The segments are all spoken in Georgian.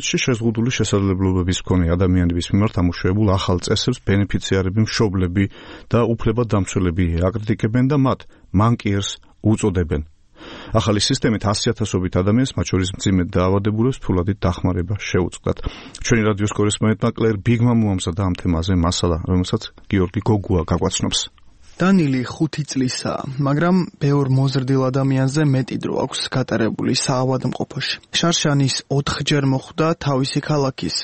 შეზღუდული შესაძლებლობების მქონე ადამიანების მიმართ ამუშავებულ ახალ წესებს ბენეფიციარები, მშობლები და უფლებადამცველები აკრიტიკებენ და მათ მანკიერს უწოდებენ. ახალი სისტემით 100,000-ობით ადამიანს, მათ შორის მძიმე დაავადებულებს, ფულადით დახმარება შეუწყდათ. ჩვენი რადიოს კორესპონდენტმა კლერ ბიგმა მოამზადა ამ თემაზე მასალა, რომელსაც გიორგი გოგუა გაგვაცნობს. დანილი 5 წლისაა, მაგრამ ბევრ მოზრდილ ადამიანზე მეტი დრო აქვს გატარებული საავადმყოფოში. შარშანის 4-ჯერ მოხვდა თავისი ქალაქის,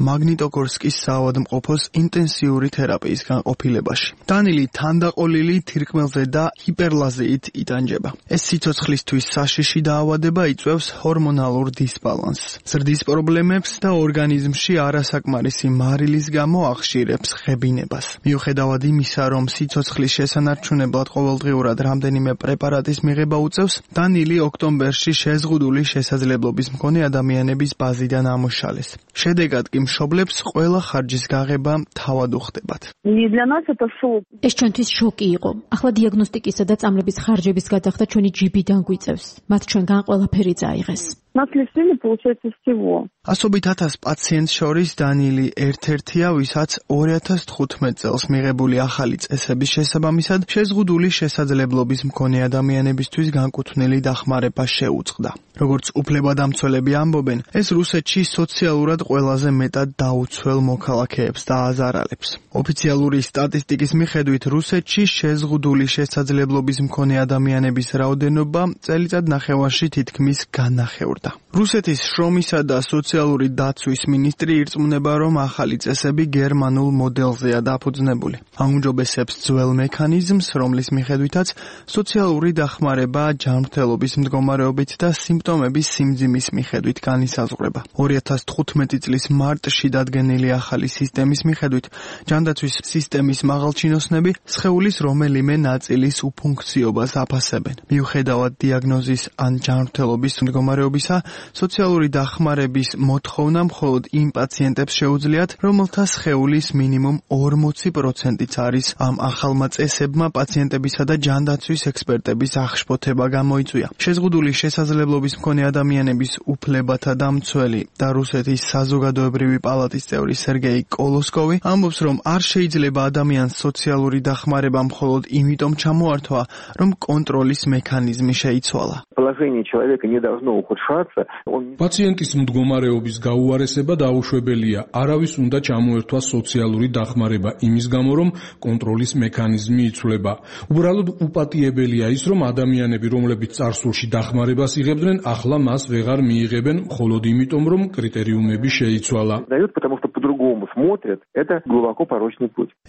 მაგნიტოგორსკის საავადმყოფოს ინტენსიური თერაპიის განყოფილებაში. დანილი თანდაყოლილი თირკმელზე და ჰიპერლაზიით იტანჯება. ეს სიცოცხლისთვის საშიში დაავადება იწვევს ჰორმონალურ დისბალანსს, ზრდის პრობლემებს და ორგანიზმში არასაკმარისი მარილის გამო ახშირებს ღებინებას. მიუხედავად იმისა, რომ სიცოცხლის შესანარჩუნებლად ყოველდღიურად რამდენიმე პრეპარატის მიღება უწევს, დანილი ოქტომბერში შეზღუდული შესაძლებლობის მქონე ადამიანების ბაზიდან ამოშალეს. შედეგად კი მშობლებს ყველა ხარჯის გაღება თავად უხდებათ. ეს ჩვენთვის შოკი იყო. ახლა დიაგნოსტიკისა და წამლების ხარჯების გადახდა ჩვენი ჯიბიდან გვიწევს. მათ ჩვენგან ყველაფერი წაიღეს. ასობით 1000 პაციენტს შორის დანილი ერთ-ერთია, ვისაც 2015 წელს მიღებული ახალი წესების შესაბამისად შეზღუდული შესაძლებლობის მქონე ადამიანებისთვის განკუთვნილი დახმარება შეუწყდა. როგორც უფლებადამცველები ამბობენ, ეს რუსეთში სოციალურად ყველაზე მეტად დაუცველ მოქალაქეებს დააზარალებს. ოფიციალური სტატისტიკის მიხედვით, რუსეთში შეზღუდული შესაძლებლობის მქონე ადამიანების რაოდენობა წელიწად ნახევარში თითქმის განახევრდა. რუსეთის შრომისა და სოციალური დაცვის მინისტრი ირწმუნება, რომ ახალი წესები გერმანულ მოდელზეა დაფუძნებული. აუმჯობესებს ძველ მექანიზმს, რომლის მიხედვითაც სოციალური დახმარება ჯანმრთელობის მდგომარეობით და სიმპტომების სიმძიმის მიხედვით განისაზღვრება. 2015 წლის მარტში დადგენილი ახალი სისტემის მიხედვით, ჯანდაცვის სისტემის მაღალჩინოსნები სხეულის რომელიმე ნაწილის უფუნქციობას აფასებენ. მიუხედავად დიაგნოზის ან ჯანმრთელობის მდგომარეობისა, სოციალური დახმარების მოთხოვნა მხოლოდ იმ პაციენტებს შეუძლიათ, რომელთა სხეულის მინიმუმ 40%-იც არის ამ ახალმა წესებმა პაციენტებისა და ჯანდაცვის ექსპერტების აღშფოთება გამოიწვია. შეზღუდული შესაძლებლობის მქონე ადამიანების უფლებათა დამცველი და რუსეთის საზოგადოებრივი პალატის წევრი სერგეი კოლოსკოვი ამბობს, რომ არ შეიძლება ადამიანს სოციალური დახმარება მხოლოდ იმიტომ ჩამოართვა, რომ კონტროლის მექანიზმი შეიცვალა. პაციენტის მდგომარეობის გაუარესება დაუშვებელია. არავის უნდა ჩამოერთვას სოციალური დახმარება იმის გამო, რომ კონტროლის მექანიზმი იცვლება. უბრალოდ უპატიებელია ის, რომ ადამიანები, რომლებიც წარსულში დახმარებას იღებდნენ, ახლა მას ვეღარ მიიღებენ, მხოლოდ იმიტომ, რომ კრიტერიუმები შეიცვალა.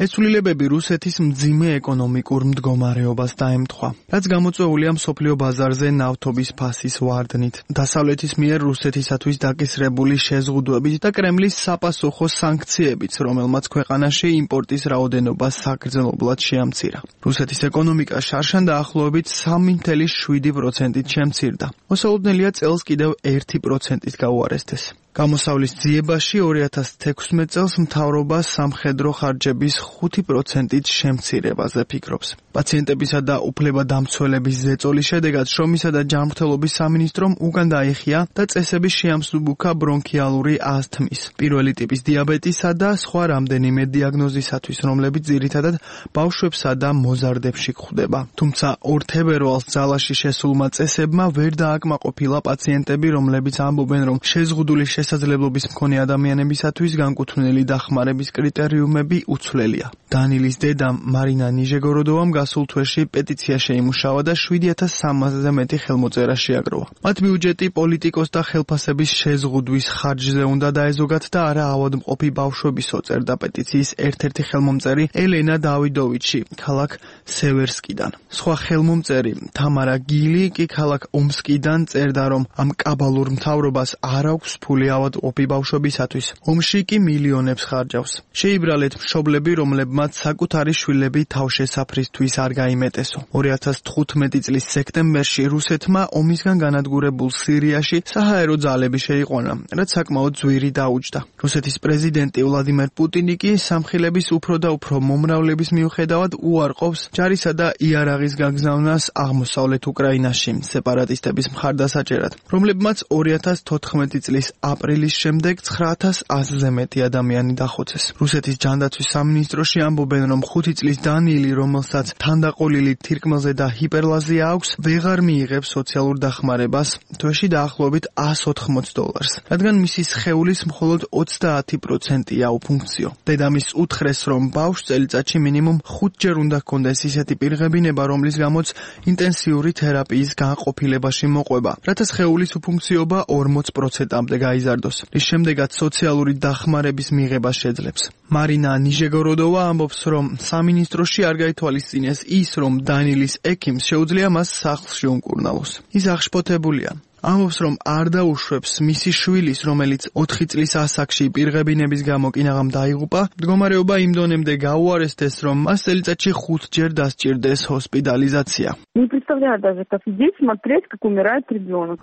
ეს ცვლილებები რუსეთის მძიმე ეკონომიკურ მდგომარეობას დაემთხვა, რაც გამოწვეულია მსოფლიო ბაზარზე ნავთობის ფასის ვარდნით, დასავლეთის მიერ რუსეთისათვის დაკისრებული შეზღუდვებით და კრემლის საპასუხო სანქციებით, რომელმაც ქვეყანაში იმპორტის რაოდენობა საგრძნობლად შეამცირა. რუსეთის ეკონომიკა შარშან დაახლოებით 3.7%-ით შემცირდა. მოსალოდნელია წელს კიდევ 1%-ით გაუარესდეს. გამოსავლის ძიებაში 2016 წელს მთავრობა სამხედრო ხარჯების 5%-ით შემცირებაზე ფიქრობს. პაციენტებისა და უფლებადამცველების ზეწოლის შედეგად შრომისა და ჯანმრთელობის სამინისტრომ უკან დაიხია და წესების შეამსუბუქა ბრონქიალური ასთმის, პირველი ტიპის დიაბეტისა და სხვა რამდენიმე დიაგნოზისათვის, რომლებიც ძირითადად ბავშვებსა და მოზარდებში გვხვდება. თუმცა 2 თებერვალს ძალაში შესულმა წესებმა ვერ დააკმაყოფილა პაციენტები, რომლებიც ამბობენ, რომ შეზღუდული შესაძლებლობის მქონე ადამიანებისათვის განკუთვნილი დახმარების კრიტერიუმები უცვლელია. დანილის დედამ მარინა ნიჟეგოროდოვამ გასულ თვეში პეტიცია შეიმუშავა და 7300-ზე მეტი ხელმოწერა შეაგროვა. მათ ბიუჯეტი პოლიტიკოსთა ხელფასების შეზღუდვის ხარჯზე უნდა დაეზოგათ და არა ავადმყოფი ბავშვების წერდა პეტიციის ერთ-ერთი ხელმომწერი ელენა დავიდოვიჩი ქალაქ სევერსკიდან. სხვა ხელმომწერი თამარა გილი კი ქალაქ ომსკიდან წერდა, რომ ამ კაბალურ მთავრობას არ აქვს ფული ავადმყოფი ბავშვებისათვის. ომში კი მილიონებს ხარჯავს. შეიბრალეთ მშობლები, რომლებმაც საკუთარი შვილები თავშესაფრისთვის არ გაიმეტესო. 2015 წლის სექტემბერში რუსეთმა ომისგან განადგურებულ სირიაში საჰაერო ძალები შეიყვანა, რაც საკმაოდ ძვირი დაუჯდა. რუსეთის პრეზიდენტი ვლადიმერ პუტინი კი სამხილების უფრო და უფრო მომრავლების მიუხედავად უარყოფს ჯარისა და იარაღის გაგზავნას აღმოსავლეთ უკრაინაში სეპარატისტების მხარდასაჭერად, რომლებმაც 2014 წლის აპრილის შემდეგ 9100-ზე მეტი ადამიანი დახოცეს. რუსეთის ჯანდაცვის სამინისტროში ამბობენ, რომ 5 წლის დანიელი, რომელსაც თანდაყოლილი თირკმელზე და ჰიპერლაზია აქვს, ვეღარ მიიღებს სოციალურ დახმარებას, თვეში დაახლოებით $180, რადგან მისი სხეულის მხოლოდ 30%-ია უფუნქციო. დედამისს უთხრეს, რომ ბავშვს წელიწადში მინიმუმ 5 ჯერ უნდა ჰქონდეს ისეთი პირღებინება, რომლის გამოც ინტენსიური თერაპიის განყოფილებაში მოყვება, რათა სხეულის უფუნქციობა 40%-მდე გაიზარდოს. რის შემდეგაც სოციალური დახმარების მიღება შეძლებს. მარინა ნიჟეგოროდოვა ამბობს, რომ სამინისტროში არ გაითვალისწინეს ის, რომ დანიელის ექიმს შეუძლია მას სახლში უმკურნალოს. ის აღშფოთებულია. ამბობს, რომ არ დაუშვებს მისი შვილის, რომელიც 4 წლის ასაკში პირღებინების გამო კინაღამ დაიღუპა, მდგომარეობა იმ დონემდე გაუარესდეს, რომ მას წელიწადში 5 ჯერ დასჭირდეს ჰოსპიტალიზაცია.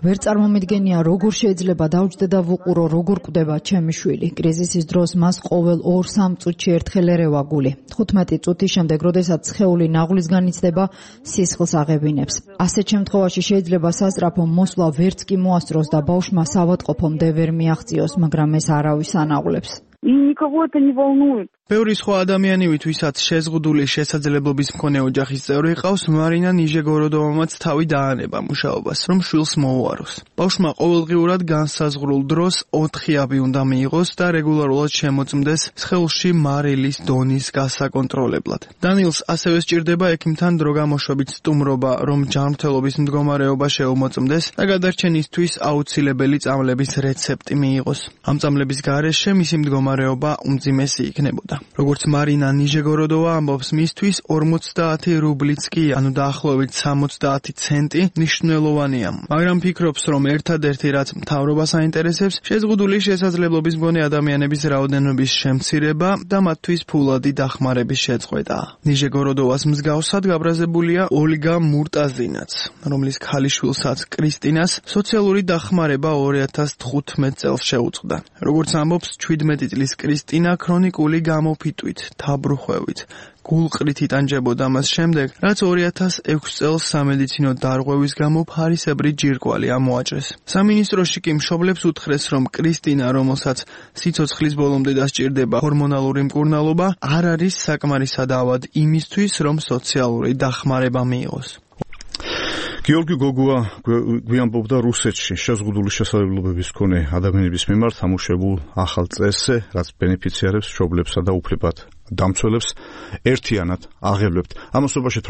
ვერ წარმომიდგენია, როგორ შეიძლება დავჯდე და ვუყურო, როგორ კვდება ჩემი შვილი. კრიზისის დროს მას ყოველ 2-3 წუთში ერთხელ ერევა გული. 15 წუთის შემდეგ, როდესაც სხეული ნაღვლისგან იცდება, სისხლს აღებინებს. ასეთ შემთხვევაში შეიძლება სასწრაფო მოსვლა ვერც კი მოასწროს და ბავშვმა საავადმყოფომდე ვერ მიაღწიოს, მაგრამ ეს არავის ანაღვლებს. ბევრი სხვა ადამიანივით, ვისაც შეზღუდული შესაძლებლობის მქონე ოჯახის წევრი ყავს, მარინა ნიჟეგოროდოვამაც თავი დაანება მუშაობას, რომ შვილს მოუაროს. ბავშვმა ყოველდღიურად განსაზღვრულ დროს 4 აბი უნდა მიიღოს და რეგულარულად შემოწმდეს სხეულში მარილის დონის გასაკონტროლებლად. დანიელს ასევე სჭირდება ექიმთან დროგამოშვებით სტუმრობა, რომ ჯანმრთელობის მდგომარეობა შეუმოწმდეს და გადარჩენისთვის აუცილებელი წამლების რეცეპტი მიიღოს. ამ წამლების გარეშე მისი მდგომარეობა უმძიმესი იქნებოდა. როგორც მარინა ნიჟეგოროდოვა ამბობს, მისთვის 50 რუბლიც კი, ანუ დაახლოებით 70 ცენტი მნიშვნელოვანია. მაგრამ ფიქრობს, რომ ერთადერთი რაც მთავრობას აინტერესებს, შეზღუდული შესაძლებლობის მქონე ადამიანების რაოდენობის შემცირება და მათთვის ფულადი დახმარების შეწყვეტა. ნიჟეგოროდოვას მსგავსად გაბრაზებულია ოლგა მურტაზინაც, რომლის ქალიშვილსაც კრისტინას სოციალური დახმარება 2015 წელს შეუწყდა. როგორც ამბობს, 17 წლის კრისტინა ქრონიკული გამოფიტვით, თაბრუხვევით, გულყრით იტანჯებოდა მას შემდეგ, რაც 2006 წელს სამედიცინო დარღვევის გამო ფარისებრი ჯირკვალი ამოაჭრეს. სამინისტროში კი მშობლებს უთხრეს, რომ კრისტინა, რომელსაც სიცოცხლის ბოლომდე დასჭირდება ჰორმონალური მკურნალობა, არ არის საკმარისად იმისთვის, რომ სოციალური დახმარება მიიღოს. გიორგი გოგუა გვიამბობდა რუსეთში შეზღუდული შესაძლებლობების მქონე ადამიანების მიმართ ამუშავებულ ახალ წესზე, რაც ბენეფიციარებს, მშობლებსა და უფლებად დამცველებს ერთიანად აღებლებთ. ამასობაში